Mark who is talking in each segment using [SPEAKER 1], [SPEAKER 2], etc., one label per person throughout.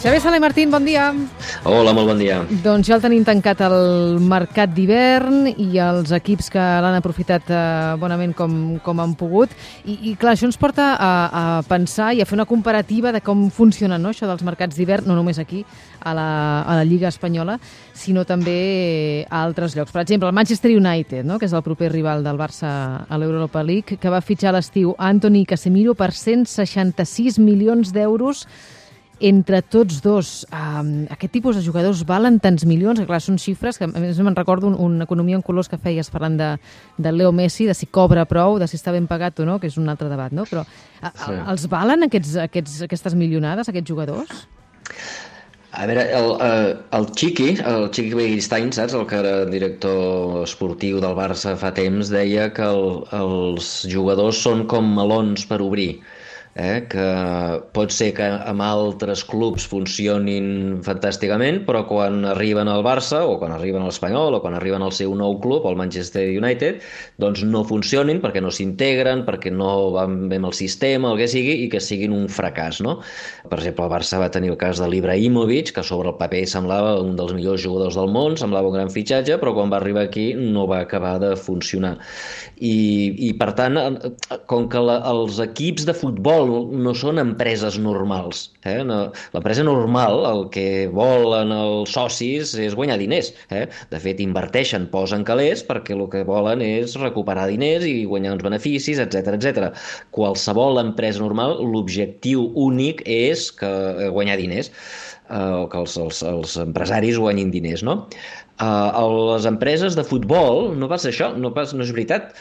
[SPEAKER 1] Xavier Sala i Martín, bon dia.
[SPEAKER 2] Hola, molt bon dia.
[SPEAKER 1] Doncs ja el tenim tancat el mercat d'hivern i els equips que l'han aprofitat bonament com han pogut. I clar, això ens porta a pensar i a fer una comparativa de com funciona, no, això dels mercats d'hivern, no només aquí, a la Lliga Espanyola, sinó també a altres llocs. Per exemple, el Manchester United, no, que és el proper rival del Barça a l'Europa League, que va fitxar a l'estiu Anthony i Casemiro per 166 milions d'euros entre tots dos. Aquest tipus de jugadors valen tants milions, que clar, són xifres que a més me'n recordo una economia en colors que feies parlant de Leo Messi, de si cobra prou, de si està ben pagat o no, que és un altre debat, no? Però els valen aquestes milionades, aquests jugadors?
[SPEAKER 2] A veure, el Chiqui Begiristain, saps? El que era director esportiu del Barça fa temps, deia que els jugadors són com melons per obrir. Que pot ser que amb altres clubs funcionin fantàsticament, però quan arriben al Barça o quan arriben a l'Espanyol o quan arriben al seu nou club, el Manchester United, doncs no funcionin perquè no s'integren, perquè no van bé amb el sistema, el que sigui, i que siguin un fracàs, no? Per exemple, el Barça va tenir el cas de l'Ibrahimovic, que sobre el paper semblava un dels millors jugadors del món, semblava un gran fitxatge, però quan va arribar aquí no va acabar de funcionar. I per tant, com que els equips de futbol no són empreses normals. L'empresa normal, el que volen els socis és guanyar diners. De fet, inverteixen, posen calés, perquè el que volen és recuperar diners i guanyar uns beneficis, etc. Qualsevol empresa normal, l'objectiu únic és guanyar diners, o que els empresaris guanyin diners, no? Les empreses de futbol no pas això, no és veritat.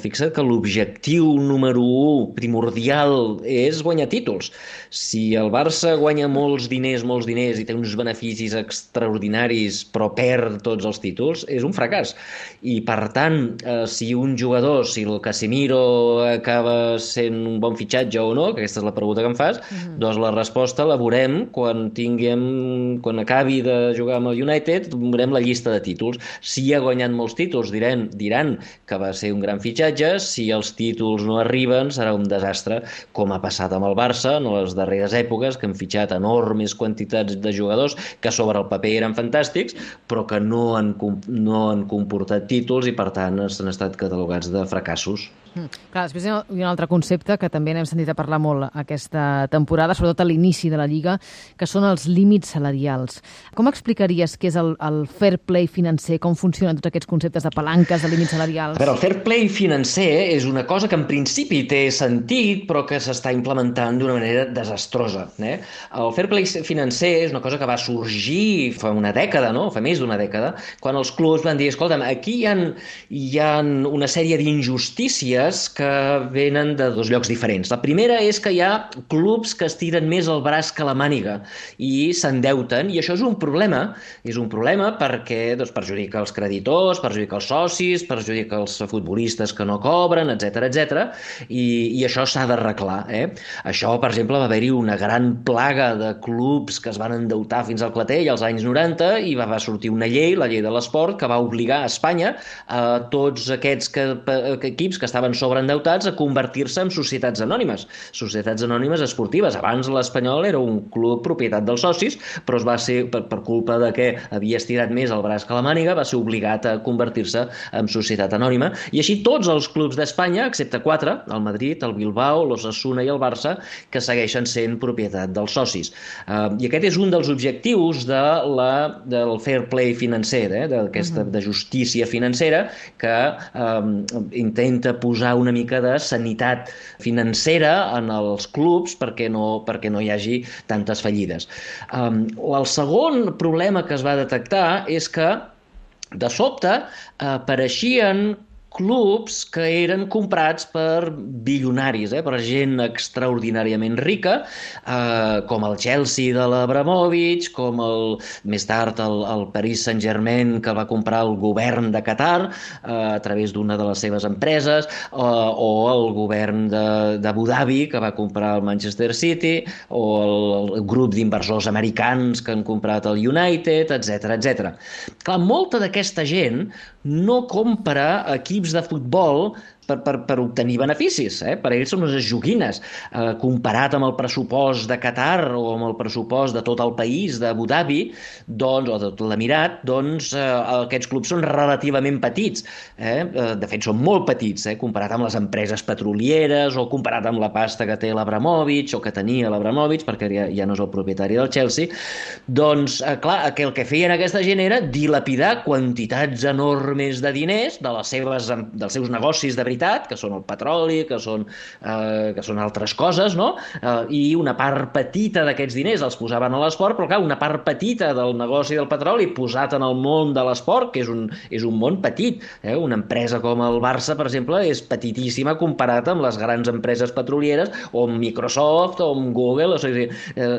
[SPEAKER 2] Fixa't que l'objectiu número 1 primordial és guanyar títols. Si el Barça guanya molts diners i té uns beneficis extraordinaris però perd tots els títols, és un fracàs. I per tant, si un jugador, si el Casemiro acaba sent un bon fitxatge o no, que aquesta és la pregunta que em fas, doncs la resposta la veurem quan acabi de jugar amb el United, veurem la llista de títols. Si ha guanyat molts títols, diran que va ser un gran fitxatge. Si els títols no arriben, serà un desastre, com ha passat amb el Barça en les darreres èpoques, que han fitxat enormes quantitats de jugadors que sobre el paper eren fantàstics, però que no han comportat títols i, per tant, han estat catalogats de fracassos.
[SPEAKER 1] Clar, després hi ha un altre concepte que també n'hem sentit a parlar molt aquesta temporada, sobretot a l'inici de la Lliga, que són els límits salarials. Com explicaries què és el fair play financer, com funcionen tots aquests conceptes de palanques, de límits salarials?
[SPEAKER 2] A veure, el fair play financer és una cosa que en principi té sentit, però que s'està implementant d'una manera desastrosa. El fair play financer és una cosa que va sorgir fa una dècada, no? Fa més d'una dècada, quan els clubs van dir, escolta'm, aquí hi ha una sèrie d'injustícies que venen de dos llocs diferents. La primera és que hi ha clubs que estiren més el braç que la màniga i s'endeuten, i això és un problema. És un problema perquè perjudica els creditors, perjudica els socis, perjudica els futbolistes que no cobren, etc. I això s'ha d'arreglar. Això, per exemple, va haver-hi una gran plaga de clubs que es van endeutar fins al clatell als anys 90 i va sortir una llei, la llei de l'esport, que va obligar a Espanya a tots aquests equips que estaven sobreendeutats a convertir-se en societats anònimes esportives. Abans l'Espanyol era un club propietat dels socis, però es va ser, per culpa de que havia estirat més el braç que la màniga, va ser obligat a convertir-se en societat anònima, i així tots els clubs d'Espanya, excepte 4, el Madrid, el Bilbao, l'Osasuna i el Barça, que segueixen sent propietat dels socis. I aquest és un dels objectius del fair play financer, de justícia financera, que intenta posar una mica de sanitat financera en els clubs perquè no hi hagi tantes fallides. El segon problema que es va detectar és que de sobte apareixien clubs que eren comprats per bilionaris, per gent extraordinàriament rica, com el Chelsea de l'Abramovich, com més tard el Paris Saint-Germain, que va comprar el govern de Qatar a través d'una de les seves empreses, o el govern d'Abu Dhabi, que va comprar el Manchester City, o el grup d'inversors americans que han comprat el United, etc. Clar, molta d'aquesta gent no compra equips de futbol per obtenir beneficis. Per ells són unes joguines. Comparat amb el pressupost de Qatar o amb el pressupost de tot el país, d'Abu Dhabi, doncs, o de tot l'Emirat, doncs aquests clubs són relativament petits. De fet, són molt petits, comparat amb les empreses petrolieres o comparat amb la pasta que té l'Abramovich o que tenia l'Abramovich, perquè ja no és el propietari del Chelsea. Doncs, clar, el que feien aquesta gent era dilapidar quantitats enormes de diners dels seus negocis de veritat, que són el petroli, que són altres coses, no? I una part petita d'aquests diners els posaven a l'esport, però clar, una part petita del negoci del petroli posat en el món de l'esport, que és un món petit. Una empresa com el Barça, per exemple, és petitíssima comparat amb les grans empreses petrolieres, o amb Microsoft, o amb Google, o sigui,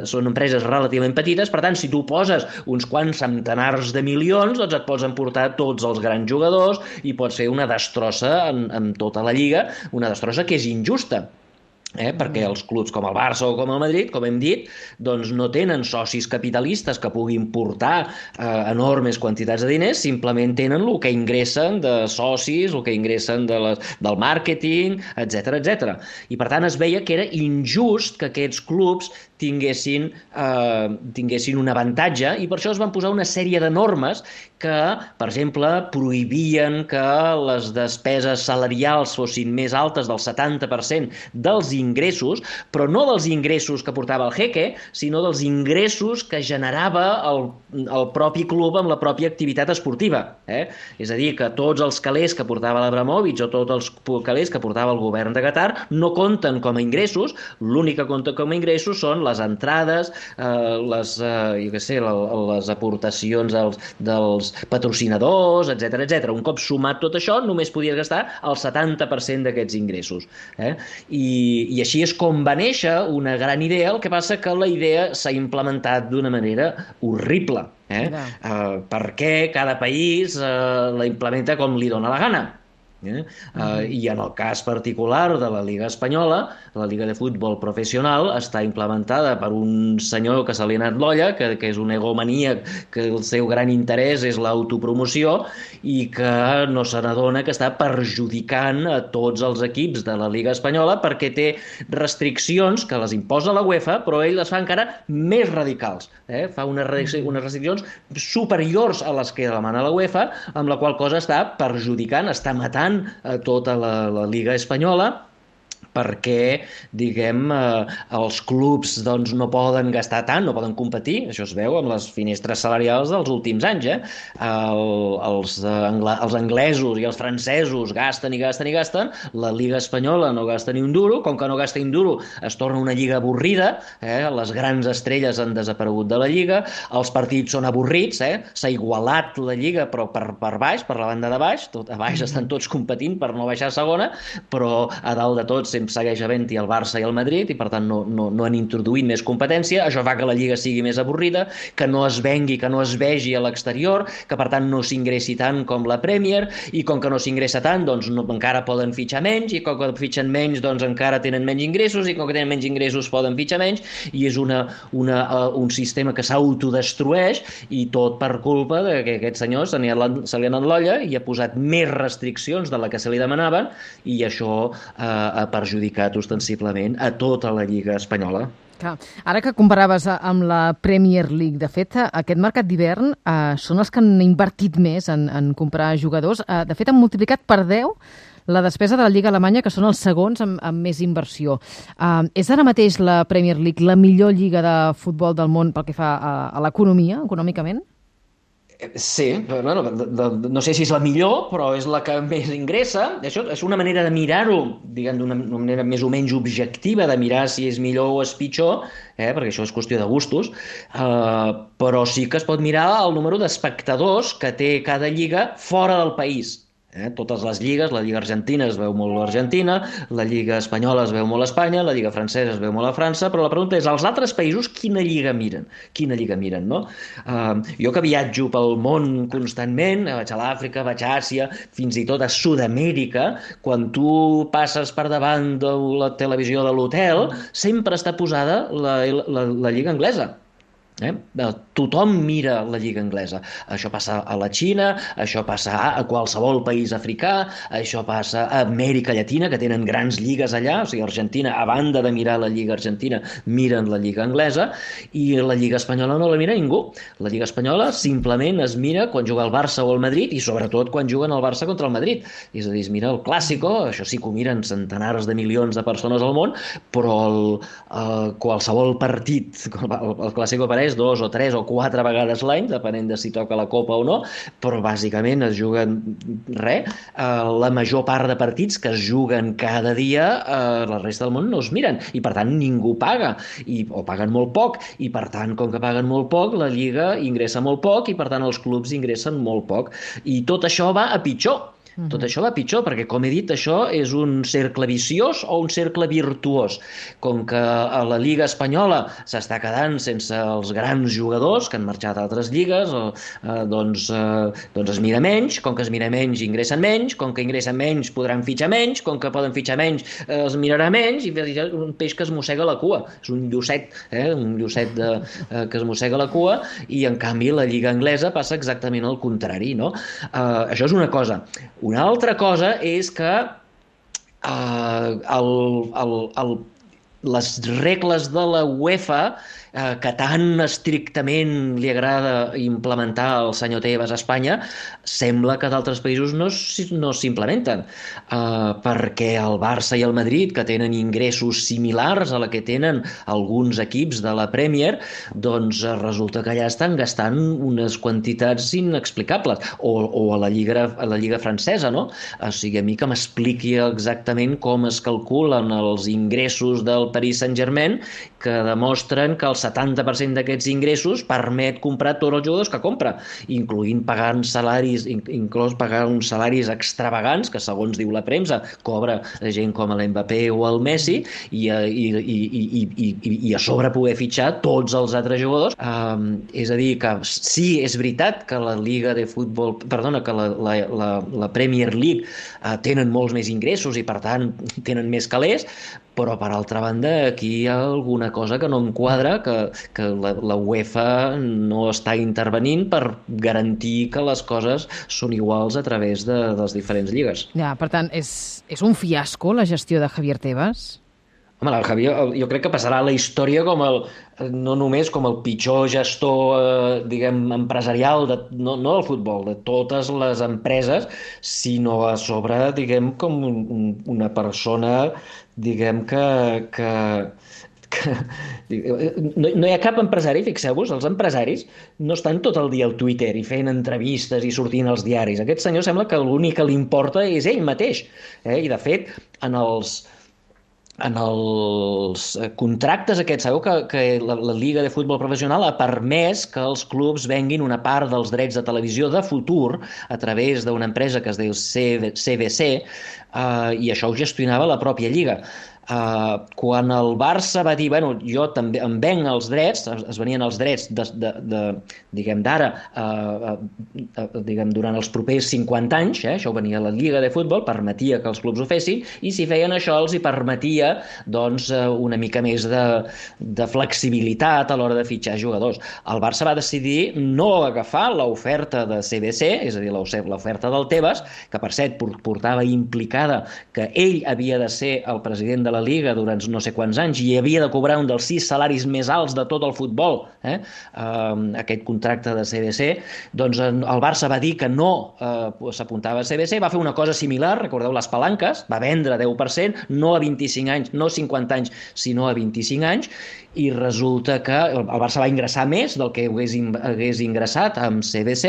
[SPEAKER 2] són empreses relativament petites. Per tant, si tu poses uns quants centenars de milions, doncs et pots emportar tots els grans jugadors i pots fer una destrossa en tota la lliga, una destrossa que és injusta. Perquè els clubs com el Barça o com el Madrid, com hem dit, doncs no tenen socis capitalistes que puguin portar enormes quantitats de diners, simplement tenen el que ingressen de socis, el que ingressen del màrqueting, etc etc. I per tant es veia que era injust que aquests clubs tinguessin un avantatge, i per això es van posar una sèrie de normes que, per exemple, prohibien que les despeses salarials fossin més altes del 70% dels ingressos, però no dels ingressos que portava el jeque, sinó dels ingressos que generava el propi club amb la pròpia activitat esportiva. És a dir, que tots els calés que portava l'Abramovich o tots els calés que portava el govern de Qatar no compten com a ingressos, l'únic que compta com a ingressos són les entrades, les aportacions dels patrocinadors, etc etc. Un cop sumat tot això, només podies gastar el 70% d'aquests ingressos. I així és com va néixer una gran idea, el que passa que la idea s'ha implementat d'una manera horrible, perquè cada país la implementa com li dóna la gana. I en el cas particular de la Lliga Espanyola, la Lliga de Futbol Professional està implementada per un senyor que se li ha anat l'olla, que és un egomaníac, que el seu gran interès és l'autopromoció i que no se n'adona que està perjudicant a tots els equips de la Lliga Espanyola perquè té restriccions que les imposa la UEFA, però ell les fa encara més radicals. Fa unes restriccions superiors a les que demana la UEFA, amb la qual cosa està perjudicant, està matant a tota la Lliga Espanyola, perquè, diguem, els clubs doncs, no poden gastar tant, no poden competir, això es veu amb les finestres salarials dels últims anys. Els anglesos i els francesos gasten i gasten i gasten, la Lliga Espanyola no gasta ni un duro, com que no gasta ni un duro es torna una lliga avorrida, les grans estrelles han desaparegut de la lliga, els partits són avorrits, s'ha igualat la lliga però per baix, per la banda de baix, a baix estan tots competint per no baixar a segona, però a dalt de tots segueix havent-hi el Barça i el Madrid i per tant no han introduït més competència. Això fa que la Lliga sigui més avorrida, que no es vengui, que no es vegi a l'exterior, que per tant no s'ingressi tant com la Premier, i com que no s'ingressa tant doncs encara poden fitxar menys, i com que fitxen menys doncs encara tenen menys ingressos, i com que tenen menys ingressos poden fitxar menys, i és un sistema que s'autodestrueix, i tot per culpa de que aquest senyor se li ha anat l'olla i ha posat més restriccions de la que se li demanaven, i això ha perjudicat ostensiblement a tota la Lliga Espanyola.
[SPEAKER 1] Clar. Ara que comparaves amb la Premier League, de fet, aquest mercat d'hivern són els que han invertit més en comprar jugadors. De fet, han multiplicat per 10 la despesa de la Lliga Alemanya, que són els segons amb més inversió. És ara mateix la Premier League la millor lliga de futbol del món pel que fa a l'economia, econòmicament?
[SPEAKER 2] Sí, bueno, no sé si és la millor, però és la que més ingressa. Això és una manera de mirar-ho, diguem, d'una manera més o menys objectiva, de mirar si és millor o és pitjor, perquè això és qüestió de gustos, però sí que es pot mirar el número d'espectadors que té cada lliga fora del país. Totes les lligues, la Lliga Argentina es veu molt a l'Argentina, la Lliga Espanyola es veu molt a Espanya, la Lliga Francesa es veu molt a França, però la pregunta és, als altres països quina lliga miren? Quina lliga miren, no? Jo que viatjo pel món constantment, vaig a l'Àfrica, vaig a Àsia, fins i tot a Sud-amèrica, quan tu passes per davant de la televisió de l'hotel, sempre està posada la lliga anglesa. tothom mira la lliga anglesa. Això passa a la Xina, això passa a qualsevol país africà, això passa a Amèrica Llatina, que tenen grans lligues allà, o sigui, Argentina, a banda de mirar la lliga argentina, miren la lliga anglesa, i la lliga espanyola no la mira ningú. La lliga espanyola simplement es mira quan juga el Barça o el Madrid, i sobretot quan juguen el Barça contra el Madrid. És a dir, es mira el Clàssico, això sí que ho miren centenars de milions de persones al món, però qualsevol partit, el Clàssico apareix 2 o 3 o 4 vegades l'any, depenent de si toca la Copa o no, però bàsicament es juguen la major part de partits que es juguen cada dia, la resta del món no es miren, i per tant ningú paga, o paguen molt poc, i per tant, com que paguen molt poc, la Lliga ingressa molt poc, i per tant els clubs ingressen molt poc. I tot això va a pitjor. Tot això va pitjor, perquè, com he dit, això és un cercle viciós o un cercle virtuós. Com que a la Lliga Espanyola s'està quedant sense els grans jugadors que han marxat a altres lligues, doncs es mira menys, com que es mira menys ingressen menys, com que ingressen menys podran fitxar menys, com que poden fitxar menys es mirarà menys, i és un peix que es mossega la cua, és un llucet que es mossega la cua, i en canvi la Lliga Anglesa passa exactament el contrari, no? Això és una cosa. Una altra cosa és que les regles de la UEFA, que tan estrictament li agrada implementar el senyor Tebas a Espanya, sembla que d'altres països no s'implementen, perquè el Barça i el Madrid, que tenen ingressos similars a la que tenen alguns equips de la Premier, doncs resulta que allà estan gastant unes quantitats inexplicables, o a la Lliga francesa, no? O sigui, a mi que m'expliqui exactament com es calculen els ingressos del Paris Saint-Germain, que demostren que el 70% d'aquests ingressos permet comprar tots els jugadors que compra, inclús pagar uns salaris extravagants, que segons diu la premsa cobra gent com l'Mbappé o el Messi, i a sobre poder fitxar tots els altres jugadors. És a dir, que sí, és veritat que la Lliga de Futbol, perdona, que la Premier League tenen molts més ingressos i per tant tenen més calés, però per altra banda aquí hi ha alguna cosa que no enquadra, que la UEFA no està intervenint per garantir que les coses són iguals a través de les diferents lligues.
[SPEAKER 1] Ja, per tant, és un fiasco la gestió de Javier Tebas?
[SPEAKER 2] Home, el Javier, jo crec que passarà a la història no només com el pitjor gestor, diguem, empresarial, no del futbol, de totes les empreses, sinó a sobre, diguem, com una persona, diguem, que no hi ha cap empresari, fixeu-vos, els empresaris no estan tot el dia al Twitter i fent entrevistes i sortint als diaris. Aquest senyor sembla que l'únic que li importa és ell mateix. I, de fet, en els contractes aquests, sabeu que la Lliga de Futbol Professional ha permès que els clubs venguin una part dels drets de televisió de futur a través d'una empresa que es diu CVC, i això ho gestionava la pròpia Lliga. Quan el Barça va dir, bueno, jo també em venc els drets, es venien els drets diguem d'ara, diguem durant els propers 50 anys, això ho venia a la Lliga de Futbol, permetia que els clubs ho fessin, i si feien això els hi permetia doncs una mica més de flexibilitat a l'hora de fitxar jugadors. El Barça va decidir no agafar l'oferta de CVC, és a dir, l'oferta del Tebas, que per cert portava implicada que ell havia de ser el president de la Lliga durant no sé quants anys i havia de cobrar un dels 6 salaris més alts de tot el futbol, aquest contracte de CVC, doncs el Barça va dir que no s'apuntava a CVC, va fer una cosa similar, recordeu les palanques, va vendre 10%, no a 25 anys, no 50 anys, sinó a 25 anys, i resulta que el Barça va ingressar més del que hagués ingressat amb CVC,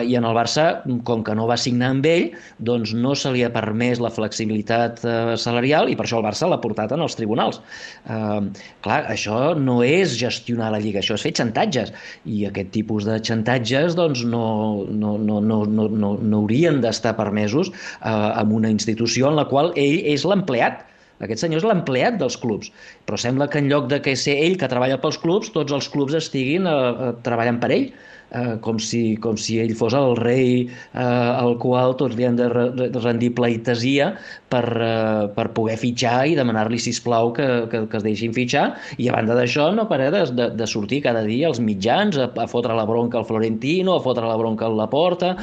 [SPEAKER 2] i en el Barça, com que no va signar amb ell, doncs no se li ha permès la flexibilitat salarial, i per això el Barça l'ha portat en els tribunals. Clar, això no és gestionar la Lliga, això és fer xantatges, i aquest tipus de xantatges doncs no haurien d'estar permesos en una institució en la qual ell és l'empleat. Aquest senyor és l'empleat dels clubs, però sembla que en lloc de que ser ell que treballa pels clubs, tots els clubs estiguin treballant per ell, com si ell fos el rei al qual tots li han de rendir pleitesia per poder fitxar i demanar-li, sisplau, que es deixin fitxar. I a banda d'això no para de sortir cada dia als mitjans a fotre la bronca al Florentino, a fotre la bronca al Laporta.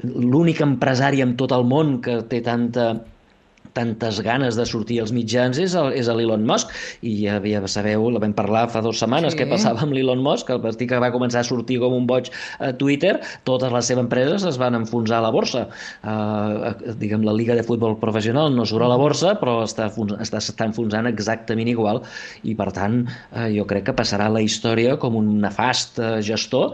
[SPEAKER 2] L'únic empresari en tot el món que té tantes ganes de sortir als mitjans és l'Elon Musk, i ja sabeu, la vam parlar fa 2 setmanes, què passava amb l'Elon Musk, el partit que va començar a sortir com un boig a Twitter, totes les seves empreses es van enfonsar a la borsa. Diguem, la Lliga de Futbol Professional no surt a la borsa, però està enfonsant exactament igual, i per tant jo crec que passarà a la història com un nefast gestor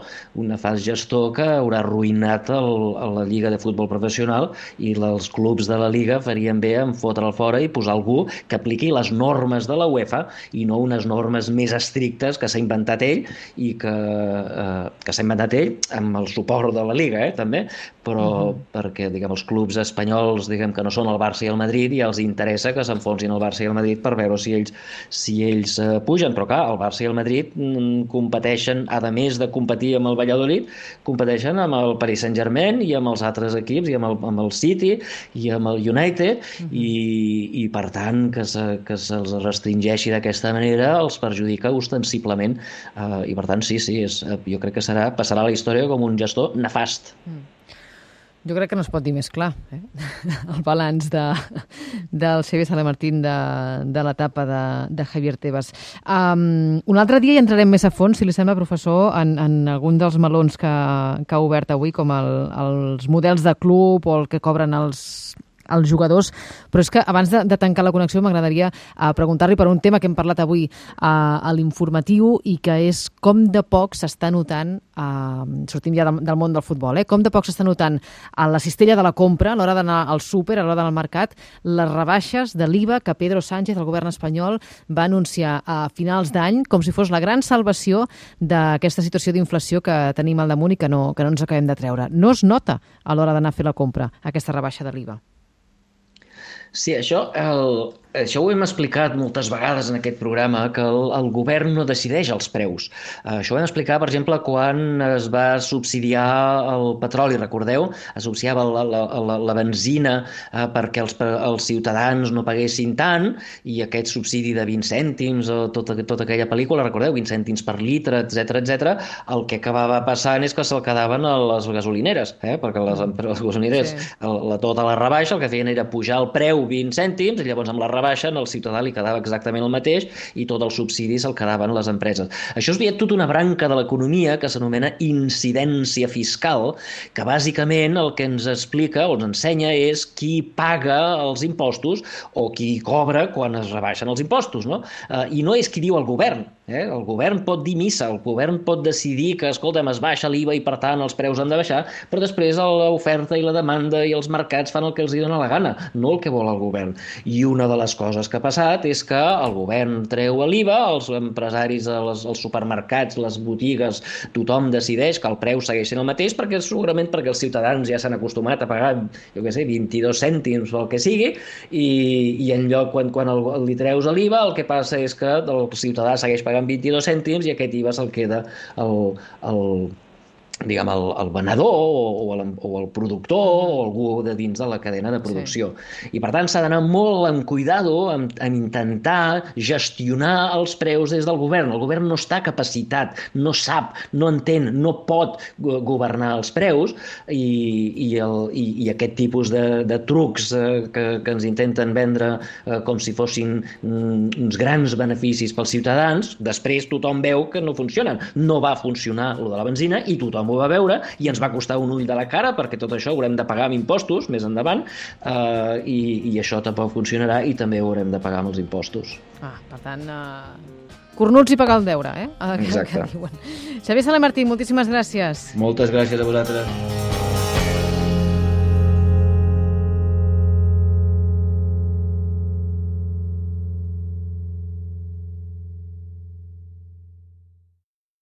[SPEAKER 2] que haurà arruïnat la Lliga de Futbol Professional, i els clubs de la Lliga farien bé en fotre'l fora i posar algú que apliqui les normes de la UEFA i no unes normes més estrictes que s'ha inventat ell, i que s'ha inventat ell amb el suport de la Lliga, també, però perquè, diguem, els clubs espanyols, diguem, que no són el Barça i el Madrid, ja els interessa que s'enfonsin el Barça i el Madrid per veure si ells pugen, però clar, el Barça i el Madrid competeixen, a més de competir amb el Valladolid, competeixen amb el Paris Saint-Germain i amb els altres equips, i amb el City i amb el United, i per tant que se'ls restringeixi d'aquesta manera els perjudica ostensiblement, i per tant sí, jo crec que passarà a la història com un gestor nefast.
[SPEAKER 1] Jo crec que no es pot dir més clar, el balanç del Xavier Sala-Martín de l'etapa de Javier Tebas. Un altre dia hi entrarem més a fons, si li sembla, professor, en algun dels melons que ha obert avui, com els models de club o el que cobren els jugadors, però és que abans de tancar la connexió m'agradaria preguntar-li per un tema que hem parlat avui a l'informatiu, i que és com de poc s'està notant, sortim ja del món del futbol, com de poc s'està notant a la cistella de la compra, a l'hora d'anar al súper, a l'hora d'anar al mercat, les rebaixes de l'IVA que Pedro Sánchez, el govern espanyol, va anunciar a finals d'any, com si fos la gran salvació d'aquesta situació d'inflació que tenim al damunt i que no ens acabem de treure. No es nota a l'hora d'anar a fer la compra, aquesta rebaixa de l'IVA.
[SPEAKER 2] Sí, això ho hem explicat moltes vegades en aquest programa, que el govern no decideix els preus. Això ho vam explicar, per exemple, quan es va subsidiar el petroli, recordeu? Es subsidiava la benzina perquè els ciutadans no paguessin tant, i aquest subsidi de 20 cèntims, tota aquella pel·lícula, recordeu? 20 cèntims per litre, etc. El que acabava passant és que se'l quedaven a les gasolineres, perquè les gasolineres, tota la rebaixa, el que feien era pujar el preu 20 cèntims, i llavors amb la rebaixa al ciutadà li quedava exactament el mateix, i tot el subsidi se'l quedaven les empreses. Això és tota una branca de l'economia que s'anomena incidència fiscal, que bàsicament el que ens explica o ens ensenya és qui paga els impostos o qui cobra quan es rebaixen els impostos, no? I no és qui diu el govern. El govern pot dir missa, el govern pot decidir que, escolta'm, es baixa l'IVA i per tant els preus han de baixar, però després l'oferta i la demanda i els mercats fan el que els dona la gana, no el que vol el govern. I una de les coses que ha passat és que el govern treu l'IVA, els empresaris, els supermercats, les botigues, tothom decideix que el preu segueix sent el mateix, segurament perquè els ciutadans ja s'han acostumat a pagar, 22 cèntims o el que sigui, i en lloc, quan li treus l'IVA, el que passa és que el ciutadà segueix pagant 22 cèntims, i aquest IVA se'l queda el venedor o el productor o algú de dins de la cadena de producció. Sí. I per tant s'ha d'anar molt amb cuidado en intentar gestionar els preus des del govern. El govern no està capacitat, no sap, no entén, no pot governar els preus, i aquest tipus de trucs que ens intenten vendre com si fossin uns grans beneficis pels ciutadans, després tothom veu que no funcionen. No va funcionar lo de la benzina, i tothom ho va veure, i ens va costar un ull de la cara, perquè tot això haurem de pagar amb impostos més endavant, i això tampoc funcionarà, i també ho haurem de pagar amb els impostos.
[SPEAKER 1] Per tant, cornuts i pagar el deure,
[SPEAKER 2] Exacte.
[SPEAKER 1] Xavier Sala-Martín, moltíssimes gràcies.
[SPEAKER 2] Moltes gràcies a vosaltres.